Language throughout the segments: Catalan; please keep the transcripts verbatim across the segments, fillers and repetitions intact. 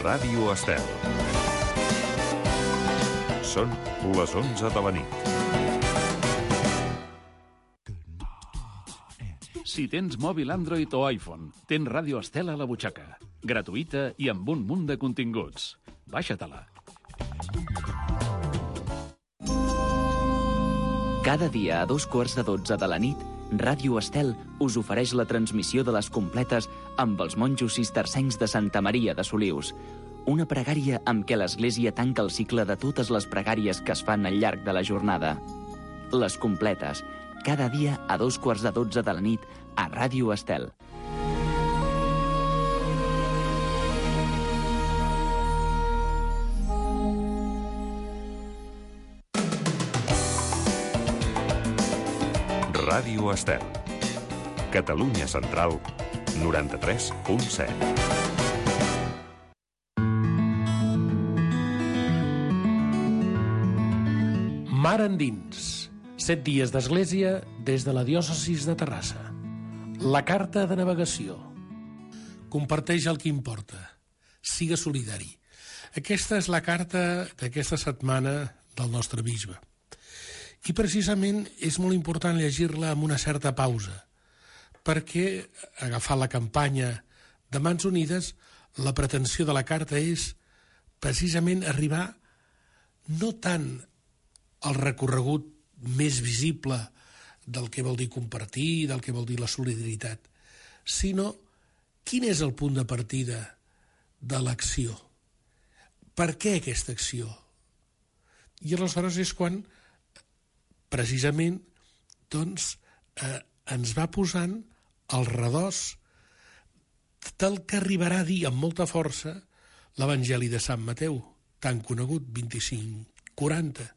Ràdio Estel. Són les onze de la nit. Si tens mòbil Android o iPhone, tens Ràdio Estel a la butxaca. Gratuïta i amb un munt de continguts. Baixa-te-la. Cada dia a dos quarts de dotze de la nit, Ràdio Estel us ofereix la transmissió de les completes amb els monjos cistercencs de Santa Maria de Solius. Una pregària amb què l'Església tanca el cicle de totes les pregàries que es fan al llarg de la jornada. Les completes, cada dia a dos quarts de dotze de la nit a Ràdio Estel. Ràdio Estel. Catalunya Central, noranta-tres punt set. Mar endins. Set dies d'església des de la diòcesis de Terrassa. La carta de navegació. Comparteix el que importa. Siga solidari. Aquesta és la carta d'aquesta setmana del nostre bisbe. I precisament és molt important llegir-la amb una certa pausa, perquè, agafant la campanya de Mans Unides, la pretensió de la carta és precisament arribar no tant al recorregut més visible del que vol dir compartir, del que vol dir la solidaritat, sinó quin és el punt de partida de l'acció. Per què aquesta acció? I aleshores és quan precisament doncs, eh, ens va posant al redós del que arribarà a dir amb molta força l'Evangeli de Sant Mateu, tan conegut, vint-i-cinc quaranta.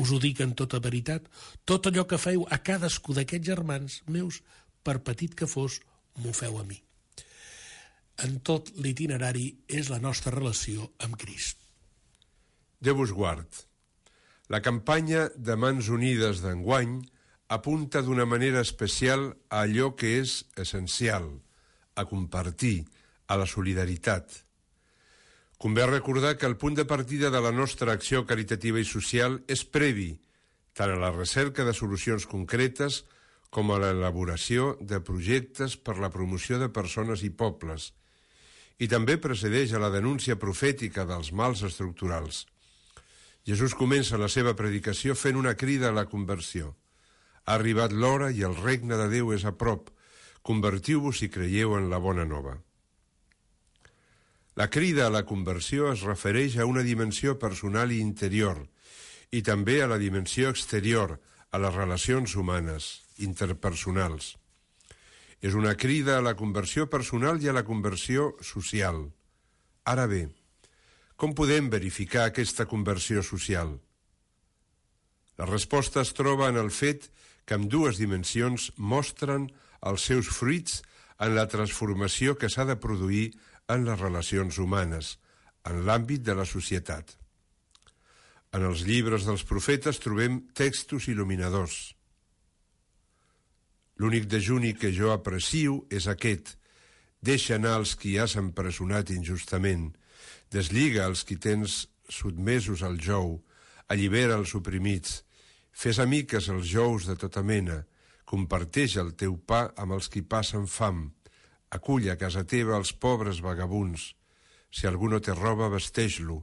Us ho dic en tota veritat, tot allò que feu a cadascú d'aquests germans meus, per petit que fos, m'ho feu a mi. En tot l'itinerari és la nostra relació amb Crist. Déu vos guard. La campanya de Mans Unides d'enguany apunta d'una manera especial a allò que és essencial, a compartir, a la solidaritat. Convé recordar que el punt de partida de la nostra acció caritativa i social és previ, tant a la recerca de solucions concretes com a l'elaboració de projectes per la promoció de persones i pobles, i també precedeix a la denúncia profètica dels mals estructurals. Jesús comença la seva predicació fent una crida a la conversió. Ha arribat l'hora i el regne de Déu és a prop. Convertiu-vos i creieu en la bona nova. La crida a la conversió es refereix a una dimensió personal i interior, i també a la dimensió exterior, a les relacions humanes, interpersonals. És una crida a la conversió personal i a la conversió social. Ara bé, com podem verificar aquesta conversió social? La resposta es troba en el fet que ambdues dimensions mostren els seus fruits en la transformació que s'ha de produir en les relacions humanes, en l'àmbit de la societat. En els llibres dels profetes trobem textos il·luminadors. L'únic dejuni que jo aprecio és aquest: deixa anar els qui has empresonat injustament, deslliga els qui tens sotmesos al jou, allibera els oprimits, fes amiques els jous de tota mena, comparteix el teu pa amb els qui passen fam, acull a casa teva els pobres vagabunds, si algú no té roba, vesteix-lo,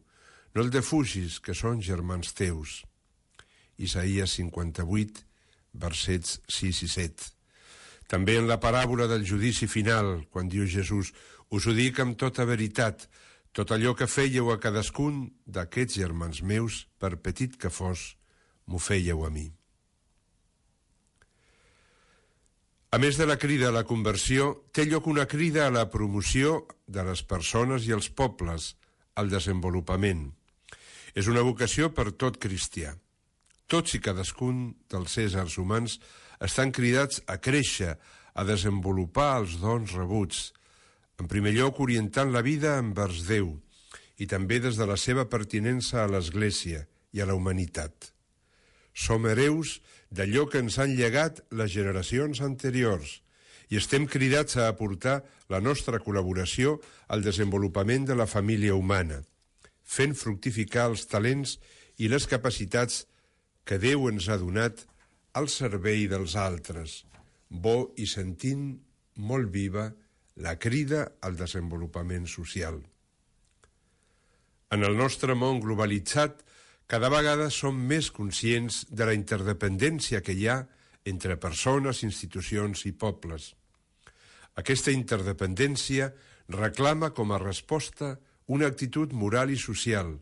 no el defugis, que són germans teus. Isaïes cinquanta-vuit, versets sis i set. També en la paràbola del judici final, quan diu Jesús, us ho dic amb tota veritat, tot allò que fèieu a cadascun d'aquests germans meus, per petit que fos, m'ho fèieu a mi. A més de la crida a la conversió, té lloc una crida a la promoció de les persones i els pobles, al desenvolupament. És una vocació per tot cristià. Tots i cadascun dels éssers humans estan cridats a créixer, a desenvolupar els dons rebuts, en primer lloc orientant la vida envers Déu i també des de la seva pertinença a l'Església i a la humanitat. Som hereus d'allò que ens han llegat les generacions anteriors i estem cridats a aportar la nostra col·laboració al desenvolupament de la família humana, fent fructificar els talents i les capacitats que Déu ens ha donat al servei dels altres, bo i sentint molt viva la crida al desenvolupament social. En el nostre món globalitzat, cada vegada som més conscients de la interdependència que hi ha entre persones, institucions i pobles. Aquesta interdependència reclama com a resposta una actitud moral i social,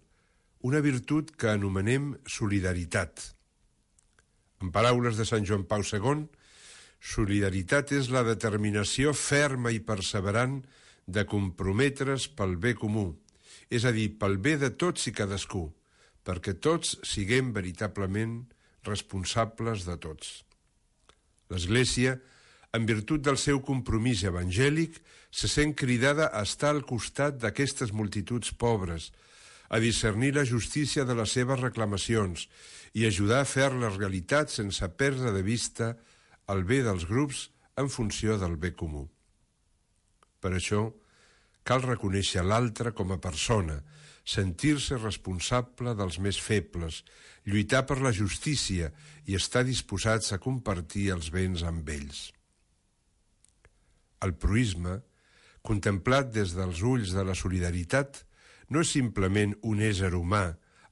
una virtut que anomenem solidaritat. En paraules de Sant Joan Pau segon, solidaritat és la determinació ferma i perseverant de comprometre's pel bé comú, és a dir, pel bé de tots i cadascú, perquè tots siguem veritablement responsables de tots. L'Església, en virtut del seu compromís evangèlic, se sent cridada a estar al costat d'aquestes multituds pobres, a discernir la justícia de les seves reclamacions i ajudar a fer-les realitat sense perdre de vista el bé dels grups en funció del bé comú. Per això, cal reconèixer l'altre com a persona, sentir-se responsable dels més febles, lluitar per la justícia i estar disposats a compartir els béns amb ells. El proïsme, contemplat des dels ulls de la solidaritat, no és simplement un ésser humà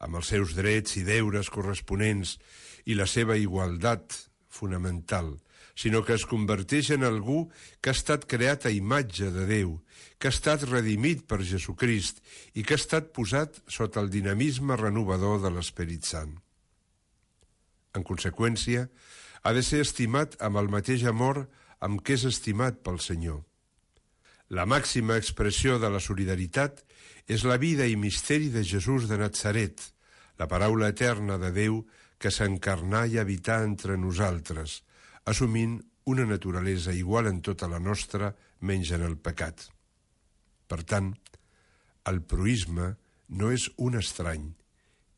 amb els seus drets i deures corresponents i la seva igualtat fonamental, sinó que es converteix en algú que ha estat creat a imatge de Déu, que ha estat redimit per Jesucrist i que ha estat posat sota el dinamisme renovador de l'Esperit Sant. En conseqüència, ha de ser estimat amb el mateix amor amb què és estimat pel Senyor. La màxima expressió de la solidaritat és la vida i misteri de Jesús de Natzaret, la paraula eterna de Déu que s'encarnà i habità entre nosaltres, assumint una naturalesa igual en tota la nostra, menys en el pecat. Per tant, el proïsme no és un estrany,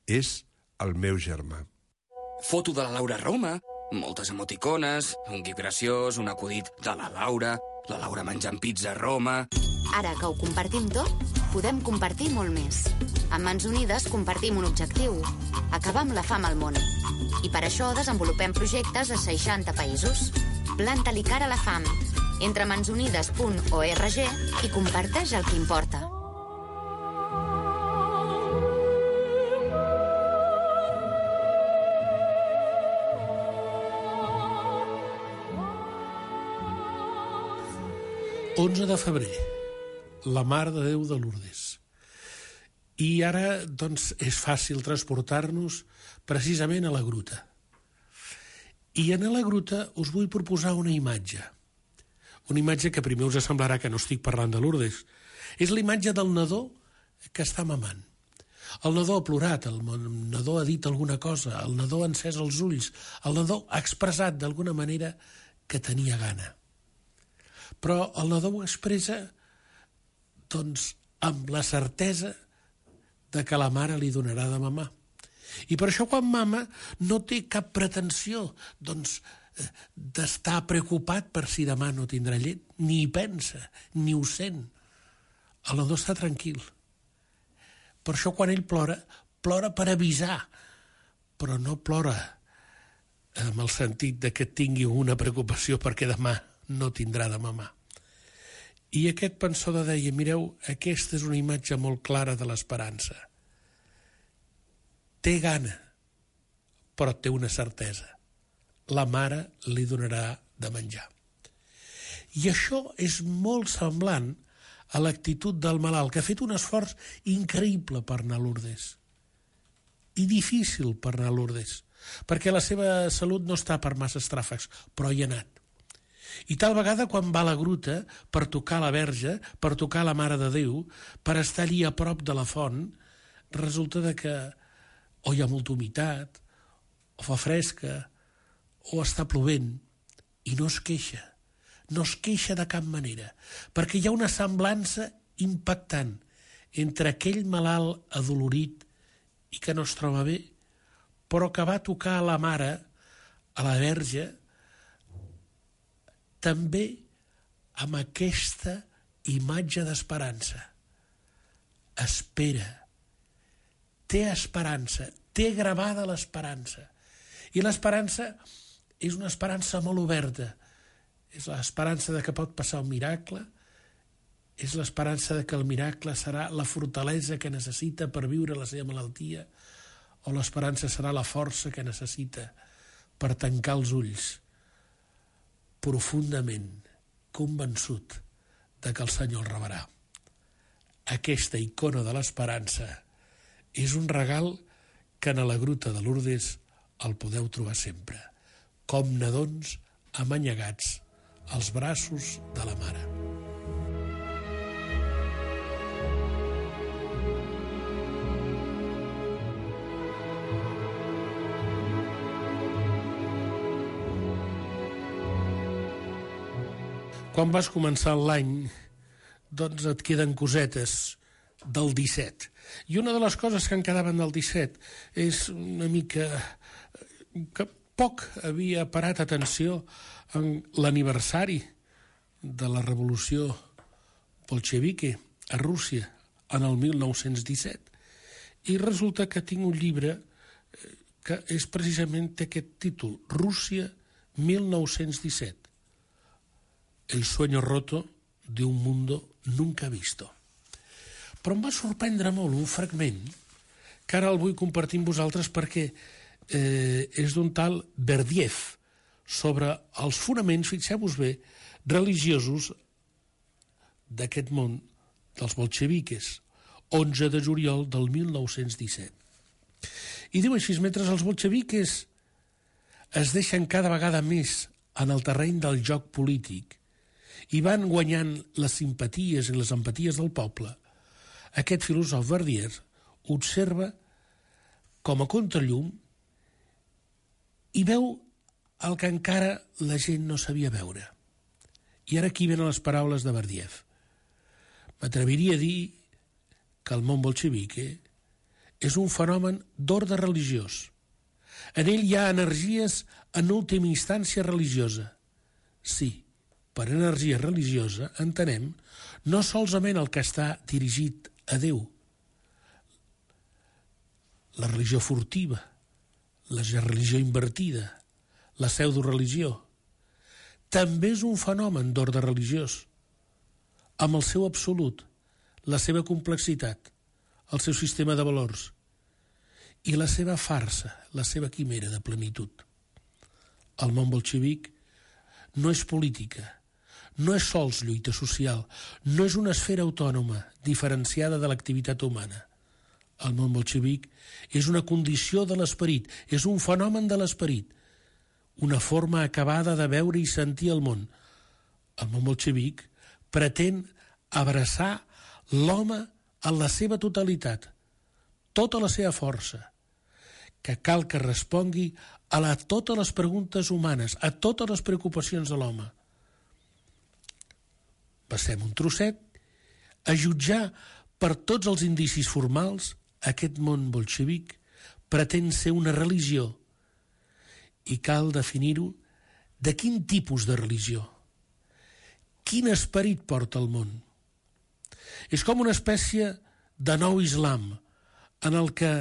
és el meu germà. Foto de la Laura a Roma, moltes emoticones, un gif graciós, un acudit de la Laura, la Laura menjant pizza a Roma... Ara que ho compartim tot, podem compartir molt més. Amb Mans Unides compartim un objectiu, acabar amb la fam al món. I per això desenvolupem projectes a seixanta països. Planta-li cara a la fam. Entra a mans unides punt org i comparteix el que importa. onze de febrer, la Mare de Déu de Lourdes. I ara, doncs, és fàcil transportar-nos precisament a la gruta. I en la gruta us vull proposar una imatge. Una imatge que primer us semblarà que no estic parlant de Lourdes. És la imatge del nadó que està mamant. El nadó ha plorat, el nadó ha dit alguna cosa, el nadó ha encès els ulls, el nadó ha expressat d'alguna manera que tenia gana. Però el nadó ho expressa, doncs, amb la certesa de que la mare li donarà de mamar. I per això quan mama no té cap pretensió, doncs, d'estar preocupat per si demà no tindrà llet, ni hi pensa, ni ho sent. El nadó està tranquil. Per això quan ell plora, plora per avisar, però no plora amb el sentit de que tingui una preocupació perquè demà no tindrà de mamar. I aquest pensador deia, mireu, aquesta és una imatge molt clara de l'esperança. Té gana, però té una certesa. La mare li donarà de menjar. I això és molt semblant a l'actitud del malalt, que ha fet un esforç increïble per anar a Lourdes. I difícil per anar a Lourdes, perquè la seva salut no està per massa estràfecs, però hi ha anat. I tal vegada quan va a la gruta per tocar la Verge, per tocar la Mare de Déu, per estar allí a prop de la font, resulta de que o hi ha molta humitat, o fa fresca, o està plovent, i no es queixa. No es queixa de cap manera, perquè hi ha una semblança impactant entre aquell malalt adolorit i que no es troba bé, però que va tocar a la Mare, a la Verge, també amb aquesta imatge d'esperança. Espera. Té esperança, té gravada l'esperança. I l'esperança és una esperança molt oberta. És l'esperança de que pot passar un miracle, és l'esperança de que el miracle serà la fortalesa que necessita per viure la seva malaltia, o l'esperança serà la força que necessita per tancar els ulls, profundament convençut de que el Senyor el rebrà. Aquesta icona de l'esperança és un regal que en la gruta de Lourdes el podeu trobar sempre, com nadons amanyegats als braços de la mare. Quan vas començar l'any, doncs et queden cosetes del disset. I una de les coses que en quedaven del disset és una mica que poc havia parat atenció en l'aniversari de la revolució bolxevique a Rússia en el mil nou-cents disset. I resulta que tinc un llibre que és precisament aquest títol, Rússia mil nou-cents disset. El sueño roto de un mundo nunca visto. Però em va sorprendre molt un fragment que ara el vull compartir amb vosaltres perquè eh, és d'un tal Berdiev sobre els fonaments, fixeu-vos bé, religiosos d'aquest món dels bolxeviques, onze de juliol del mil nou-cents disset. I diu així, mentre els bolxeviques es deixen cada vegada més en el terreny del joc polític i van guanyant les simpaties i les empaties del poble, aquest filòsof Berdiev observa com a contrallum i veu el que encara la gent no sabia veure. I ara aquí venen les paraules de Berdiev. M'atreviria a dir que el món bolxevique és un fenomen d'ordre religiós. En ell hi ha energies en última instància religiosa. Sí, per energia religiosa entenem no solament el que està dirigit a Déu, la religió furtiva, la religió invertida, la pseudoreligió. També és un fenomen d'ordre religiós, amb el seu absolut, la seva complexitat, el seu sistema de valors i la seva farsa, la seva quimera de plenitud. El món bolxevic no és política, no és sols lluita social, no és una esfera autònoma diferenciada de l'activitat humana. El món bolxevic és una condició de l'esperit, és un fenomen de l'esperit, una forma acabada de veure i sentir el món. El món bolxevic pretén abraçar l'home en la seva totalitat, tota la seva força, que cal que respongui a la, totes les preguntes humanes, a totes les preocupacions de l'home. Passem un trosset a jutjar per tots els indicis formals aquest món bolxevic pretén ser una religió i cal definir-ho de quin tipus de religió, quin esperit porta el món. És com una espècie de nou islam en el que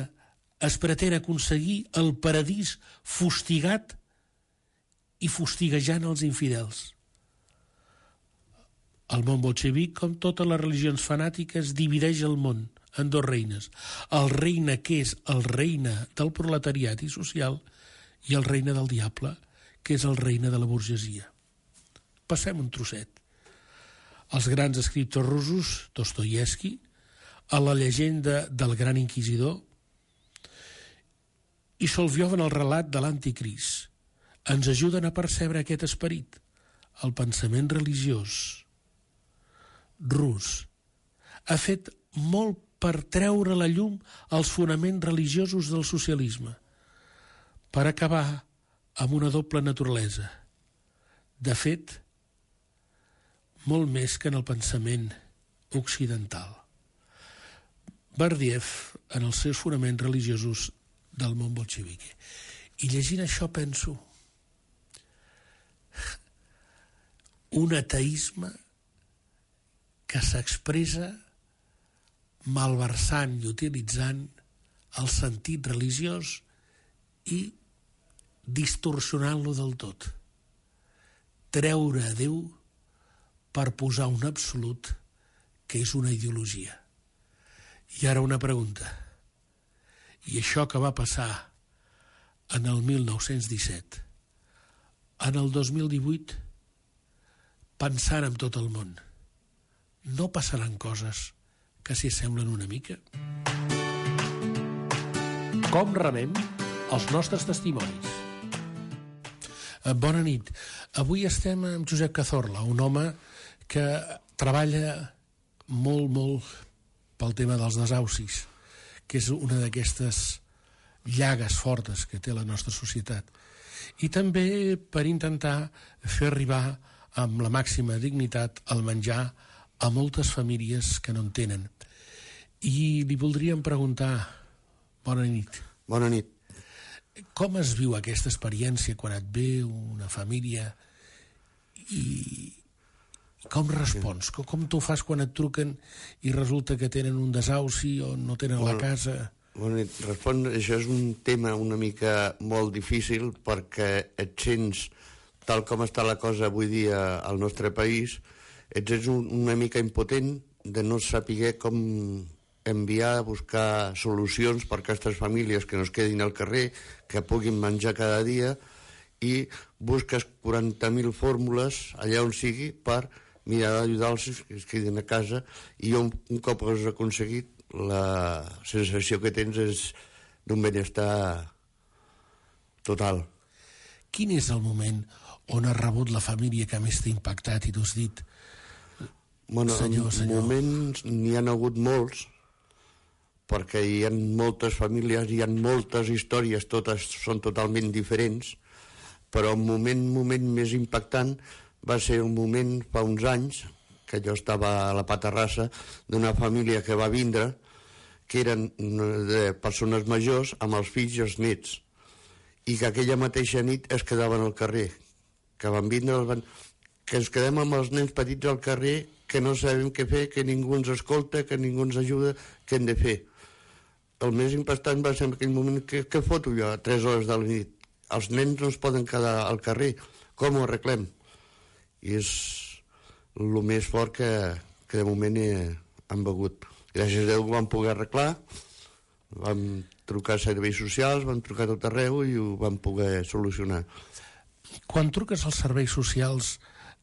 es pretén aconseguir el paradís fustigat i fustiguejant els infidels. El món bolxevic, com totes les religions fanàtiques, divideix el món en dos reines. El regne que és el regne del proletariat i social i el regne del diable, que és el regne de la burgesia. Passem un trosset. Els grans escriptors russos, Dostoievski, a la llegenda del gran inquisidor, i Solovjov en el relat de l'anticrist, ens ajuden a percebre aquest esperit. El pensament religiós rus ha fet molt per treure a la llum els fonaments religiosos del socialisme, per acabar amb una doble naturalesa. De fet, molt més que en el pensament occidental. Berdiev, en els seus fonaments religiosos del món bolxevique. I llegint això penso un ateisme que s'expressa malversant i utilitzant el sentit religiós i distorsionant-lo del tot. Treure a Déu per posar un absolut que és una ideologia. I ara una pregunta. I això que va passar en el mil nou-cents disset, en el dos mil divuit, pensant en tot el món, no passaran coses que s'hi assemblen una mica? Com rebem els nostres testimonis? Bona nit. Avui estem amb Josep Cazorla, un home que treballa molt, molt pel tema dels desaucis, que és una d'aquestes llagues fortes que té la nostra societat. I també per intentar fer arribar amb la màxima dignitat el menjar a moltes famílies que no en tenen. I li voldríem preguntar, bona nit. Bona nit. Com es viu aquesta experiència quan et ve una família i com respons? Com, com tu fas quan et truquen i resulta que tenen un desauci o no tenen bueno, la casa? Bona nit. Respon, això és un tema una mica molt difícil perquè et sents, tal com està la cosa avui dia al nostre país, et sents un, una mica impotent de no saber com enviar a buscar solucions per a aquestes famílies que no es quedin al carrer, que puguin menjar cada dia, i busques quaranta mil fórmules allà on sigui per mirar d'ajudar-los que es quedin a casa, i un, un cop has aconseguit, la sensació que tens és d'un benestar total. Quin és el moment on has rebut la família que més t'ha impactat i t'ho has dit? Bueno, senyor, en senyor. moments n'hi han hagut molts, perquè hi ha moltes famílies, hi ha moltes històries, totes són totalment diferents, però un moment, moment més impactant va ser un moment fa uns anys, que jo estava a la Paterrassa, d'una família que va vindre, que eren de persones majors amb els fills i els nets, i que aquella mateixa nit es quedaven al carrer, que van vindre, van... que ens quedem amb els nens petits al carrer, que no sabem què fer, que ningú ens escolta, que ningú ens ajuda, què hem de fer. El més impactant va ser en aquell moment, què, què foto jo a tres hores de la nit? Els nens no es poden quedar al carrer, com ho arreglem? I és el més fort que, que de moment he, han begut. Gràcies a Déu ho vam poder arreglar, vam trucar a serveis socials, vam trucar a tot arreu i ho vam poder solucionar. Quan truques als serveis socials,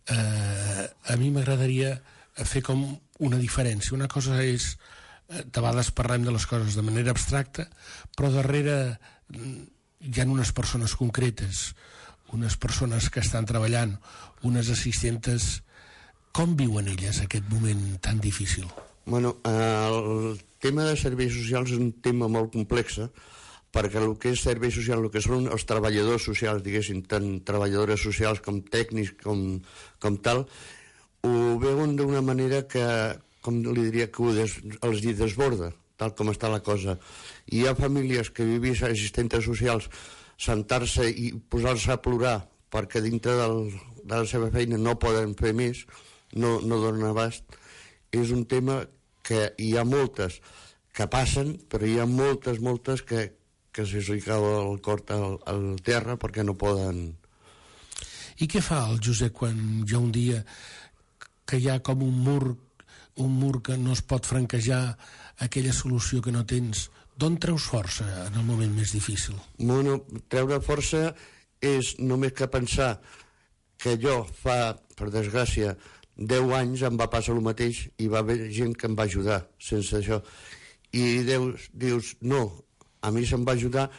eh, a mi m'agradaria fer com una diferència. Una cosa és, de vegades parlem de les coses de manera abstracta, però darrere hi ha unes persones concretes, unes persones que estan treballant, unes assistentes. Com viuen elles aquest moment tan difícil? Bueno, el tema de serveis socials és un tema molt complex, perquè el que és servei social, el que són els treballadors socials, diguéssim, tant treballadores socials com tècnics, com, com tal, ho veuen d'una manera que, com li diria, que ho des, els hi desborda, tal com està la cosa. I hi ha famílies que vivís assistentes socials sentar-se i posar-se a plorar perquè dintre del, de la seva feina no poden fer més, no, no donen abast. És un tema que hi ha moltes que passen, però hi ha moltes, moltes que, que se li cau el cor al, al terra perquè no poden. I què fa el Josep quan hi ha un dia que hi ha com un mur, un mur que no es pot franquejar, aquella solució que no tens? D'on treus força en el moment més difícil? Bueno, treure força és només que pensar que jo fa, per desgràcia, deu anys em va passar el mateix i va haver gent que em va ajudar sense això. I Déu, dius, no, a mi se'm va ajudar,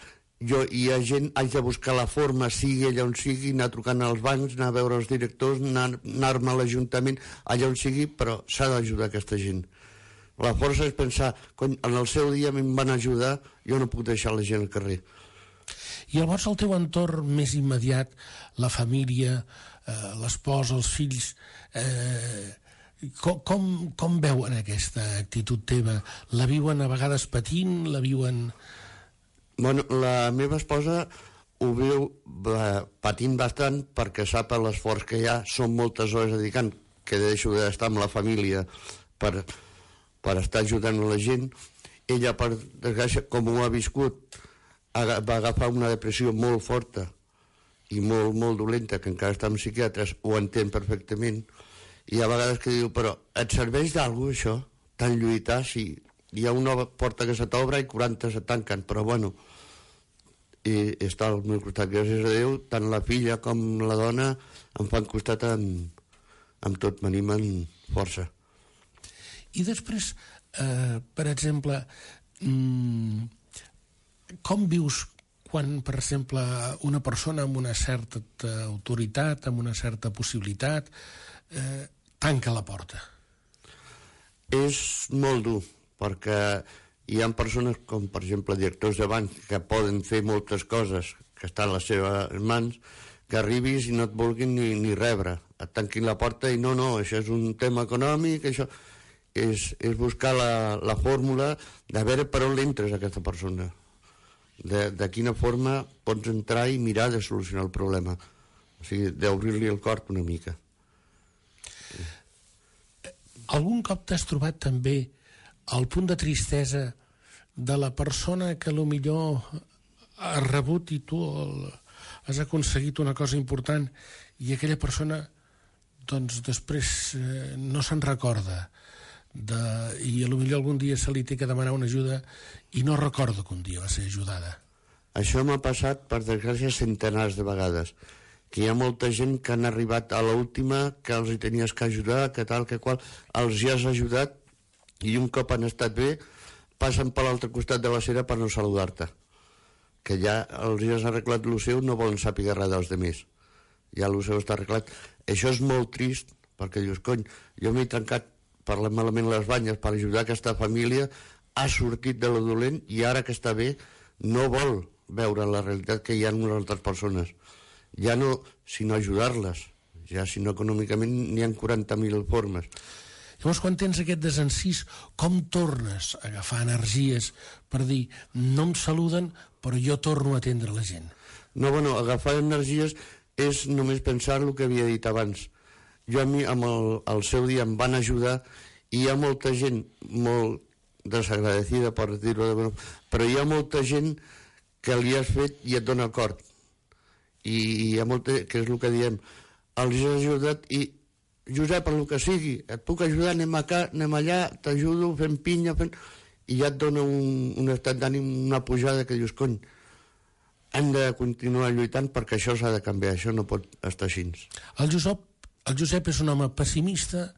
jo hi ha gent, haig de buscar la forma, sigui allà on sigui, anar trucant als bancs, anar a veure els directors, anar, anar-me a l'Ajuntament, allà on sigui, però s'ha d'ajudar aquesta gent. La força és pensar, cony, en el seu dia em van ajudar, jo no puc deixar la gent al carrer. I llavors el teu entorn més immediat, la família, eh, l'espòs, els fills, eh, com, com, com veuen aquesta actitud teva? La viuen a vegades patint, la viuen... Bueno, la meva esposa ho viu eh, patint bastant perquè sap l'esforç que hi ha, són moltes hores dedicant, que deixo d'estar amb la família per, per estar ajudant la gent. Ella, per desgràcia, com ho ha viscut, va agafar una depressió molt forta i molt, molt dolenta, que encara està amb psiquiatres, ho entén perfectament, i a vegades que diu, però et serveix d'alguna cosa, això? Tant lluitar, si hi ha una porta que se t'obre i quaranta se tanquen, però bueno, i està al meu costat, gràcies a Déu, tant la filla com la dona em fan costat amb, amb tot, m'animen força. I després, eh, per exemple, mmm, com vius quan, per exemple, una persona amb una certa autoritat, amb una certa possibilitat, eh, tanca la porta? És molt dur, perquè hi ha persones com, per exemple, directors de banc que poden fer moltes coses que estan a les seves mans, que arribis i no et vulguin ni, ni rebre, et tanquin la porta i no, no, això és un tema econòmic, això és, és buscar la, la fórmula de veure per on l'entres a aquesta persona, de, de quina forma pots entrar i mirar de solucionar el problema, o sigui, d'obrir-li el cor una mica. Algun cop t'has trobat també el punt de tristesa de la persona que millor ha rebut i tu el, has aconseguit una cosa important i aquella persona doncs després eh, no se'n recorda de, i potser algun dia se li té que demanar una ajuda i no recorda que un dia va ser ajudada? Això m'ha passat, per desgràcia, centenars de vegades, que hi ha molta gent que han arribat a l'última, que els hi tenies que ajudar, que tal, que qual, els hi has ajudat i un cop han estat bé passen per l'altre costat de la cera per no saludar-te, que ja els hi has arreglat el seu, no volen saber res dels altres, ja el seu està arreglat. Això és molt trist, perquè dius, cony, jo m'he trencat parlant malament les banyes per ajudar aquesta família, ha sortit de lo dolent i ara que està bé no vol veure la realitat que hi ha en unes altres persones, ja no sinó ajudar-les, ja sinó econòmicament n'hi ha quaranta mil formes. Llavors, quan tens aquest desencís, com tornes a agafar energies per dir, no em saluden, però jo torno a atendre la gent? No, bueno, agafar energies és només pensar el que havia dit abans. Jo a mi, amb el, el seu dia, em van ajudar i hi ha molta gent molt desagradecida, per dir-ho de bueno, però hi ha molta gent que li has fet i et dona el cor. I hi ha molta, que és el que diem, els has ajudat i Josep, el que sigui, et puc ajudar, anem acá, anem allà, t'ajudo, fent pinya, fent... i ja et dona un, un estat d'ànim, una pujada que dius, cony, hem de continuar lluitant perquè això s'ha de canviar, això no pot estar així. El Josep, el Josep és un home pessimista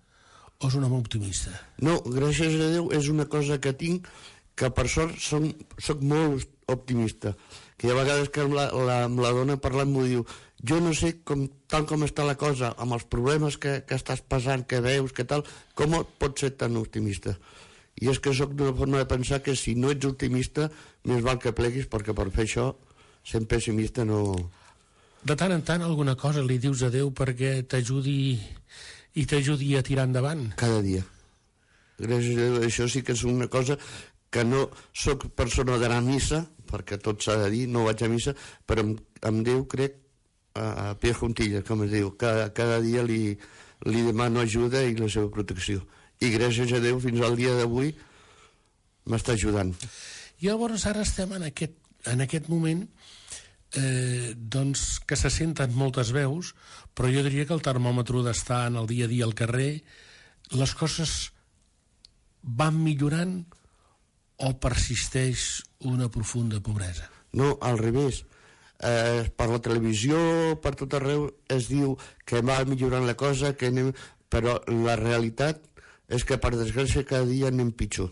o és un home optimista? No, gràcies a Déu és una cosa que tinc, que per sort som, soc molt optimista, que hi ha vegades que amb la, la, amb la dona parlant m'ho diu, jo no sé com, tal com està la cosa, amb els problemes que, que estàs passant, que veus, que tal, com pots ser tan optimista? I és que sóc d'una forma de pensar que si no ets optimista, més val que pleguis, perquè per fer això, sent pessimista no... De tant en tant alguna cosa li dius a Déu perquè t'ajudi i t'ajudi a tirar endavant? Cada dia. Gràcies a Déu, això sí que és una cosa que no sóc persona d'anar a missa, perquè tot s'ha de dir, no vaig a missa, però amb, amb Déu crec a pie juntillas, com es diu, cada, cada dia li, li demano ajuda i la seva protecció. I gràcies a Déu fins al dia d'avui m'està ajudant. I llavors ara estem en aquest, en aquest moment eh, doncs que se senten moltes veus, però jo diria que el termòmetre d'estar en el dia a dia al carrer, les coses van millorant o persisteix una profunda pobresa? No, al revés. Eh, per la televisió, per tot arreu es diu que va millorant la cosa, que anem... però la realitat és que per desgràcia cada dia anem pitjor,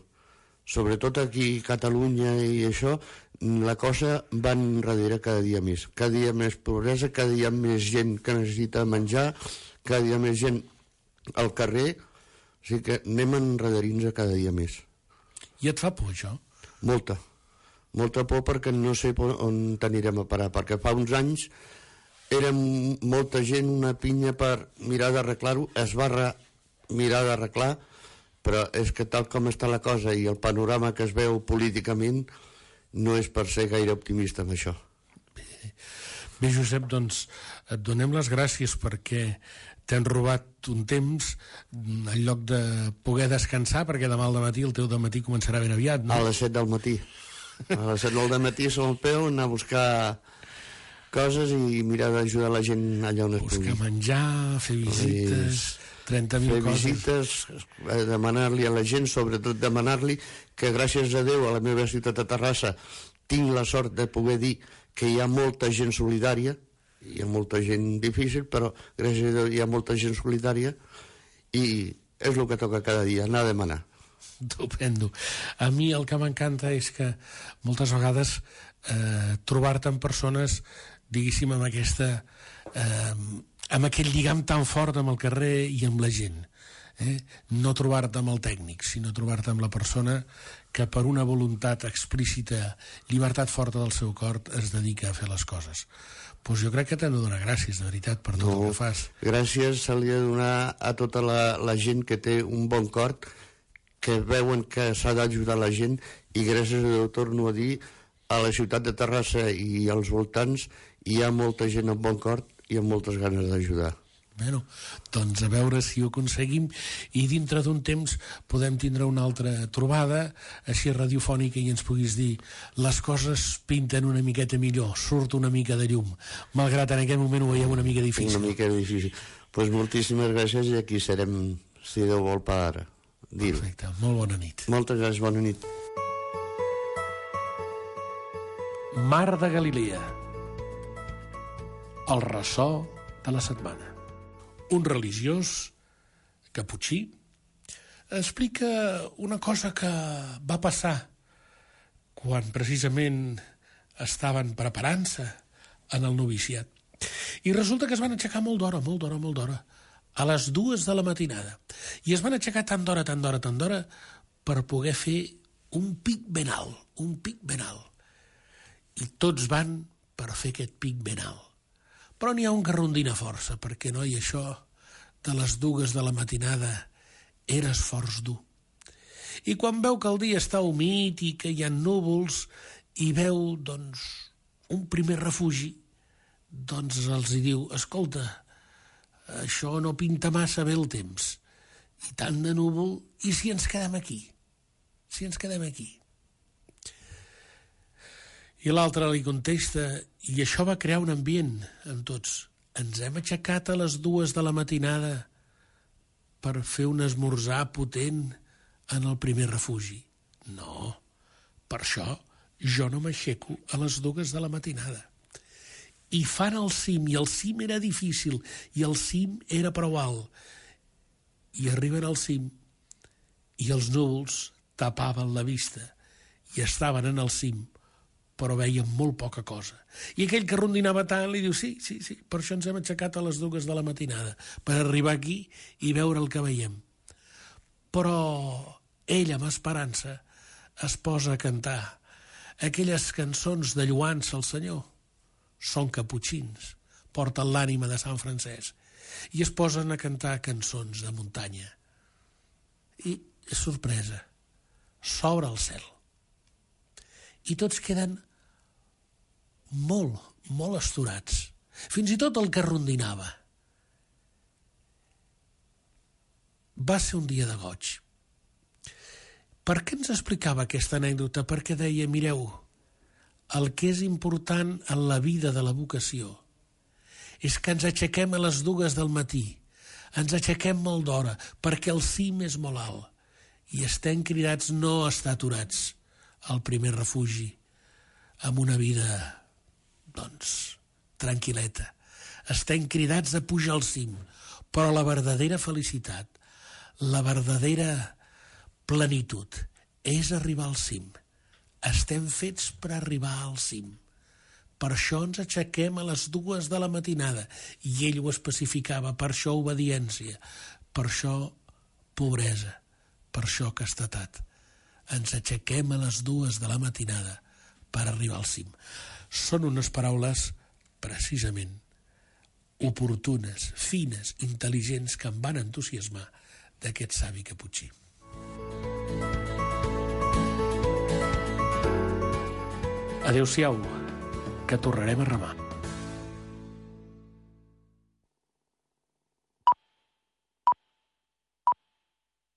sobretot aquí a Catalunya i això, la cosa va enrere cada dia més, cada dia més pobresa, cada dia més gent que necessita menjar, cada dia més gent al carrer, o sigui que anem enrederint-nos cada dia més. I et fa por això? Molta. Molta por perquè no sé on t'anirem a parar, perquè fa uns anys érem molta gent, una pinya per mirar d'arreglar-ho, es va re, mirar d'arreglar, però és que tal com està la cosa i el panorama que es veu políticament no és per ser gaire optimista amb això. Bé, Bé Josep, doncs et donem les gràcies perquè t'hem robat un temps en lloc de poder descansar, perquè demà al matí el teu dematí començarà ben aviat, no? A les set del matí. A les set del matí som al peu, anar a buscar coses i mirar d'ajudar la gent allà on es pugui. Buscar menjar, fer visites, trenta mil fer coses. visites, demanar-li a la gent, sobretot demanar-li que gràcies a Déu a la meva ciutat de Terrassa tinc la sort de poder dir que hi ha molta gent solidària, hi ha molta gent difícil, però gràcies a Déu hi ha molta gent solidària i és el que toca cada dia, anar a demanar. Estupendo. A mi el que m'encanta és que moltes vegades eh, trobar-te amb persones, diguéssim, amb aquesta eh, amb aquell lligam tan fort amb el carrer i amb la gent. Eh? No trobar-te amb el tècnic, sinó trobar-te amb la persona que per una voluntat explícita, llibertat forta del seu cor, es dedica a fer les coses. Doncs jo crec que t'hem de donar gràcies, de veritat, per tot no, el que fas. Gràcies se li ha de donar a tota la, la gent que té un bon cor, que veuen que s'ha d'ajudar la gent, i gràcies a Déu, torno a dir, a la ciutat de Terrassa i als voltants hi ha molta gent amb bon cor i amb moltes ganes d'ajudar. Bueno, doncs a veure si ho aconseguim i dintre d'un temps podem tindre una altra trobada així radiofònica i ens puguis dir les coses pinten una miqueta millor, surt una mica de llum, malgrat en aquest moment ho veiem una mica difícil. Una mica difícil. Doncs pues moltíssimes gràcies i aquí serem, si Déu vol, per dir-ho. Perfecte, molt bona nit. Moltes gràcies, bona nit. Mar de Galilea, el ressò de la setmana. Un religiós caputxí explica una cosa que va passar quan precisament estaven preparant-se en el noviciat. I resulta que es van aixecar molt d'hora, molt d'hora, molt d'hora, a les dues de la matinada. I es van aixecar tant d'hora, tant d'hora, tant d'hora, per poder fer un pic ben alt, un pic ben alt. I tots van per fer aquest pic ben alt. Però n'hi ha un que rondina força, perquè, noi, això de les dues de la matinada era esforç dur. I quan veu que el dia està humit i que hi ha núvols i veu, doncs, un primer refugi, doncs els hi diu, escolta, això no pinta massa bé el temps, i tant de núvol, i si ens quedem aquí? Si ens quedem aquí? I l'altre li contesta, i això va crear un ambient en tots. Ens hem aixecat a les dues de la matinada per fer un esmorzar potent en el primer refugi. No, per això jo no m'aixeco a les dues de la matinada. I fan el cim, i el cim era difícil, i el cim era prou alt. I arriben al cim, i els núvols tapaven la vista, i estaven en el cim, però veiem molt poca cosa. I aquell que rondinava tant li diu, sí, sí, sí, per això ens hem aixecat a les dues de la matinada, per arribar aquí i veure el que veiem. Però ell, amb esperança, es posa a cantar aquelles cançons de lluança al Senyor. Són caputxins, porten l'ànima de Sant Francesc, i es posen a cantar cançons de muntanya. I, sorpresa, s'obre el cel. I tots queden molt, molt astorats. Fins i tot el que rondinava. Va ser un dia de goig. Per què ens explicava aquesta anècdota? Perquè deia, mireu, el que és important en la vida de la vocació és que ens aixequem a les dues del matí, ens aixequem molt d'hora, perquè el cim és molt alt, i estem cridats no a estar aturats al primer refugi, amb una vida, doncs, tranquil·leta. Estem cridats a pujar al cim, però la verdadera felicitat, la verdadera plenitud, és arribar al cim. Estem fets per arribar al cim. Per això ens aixequem a les dues de la matinada, i ell ho especificava, per això obediència, per això pobresa, per això castetat. Ens aixequem a les dues de la matinada per arribar al cim. Són unes paraules, precisament, oportunes, fines, intel·ligents, que em van entusiasmar d'aquest savi caputxí. Adéu-siau, que tornarem a remar.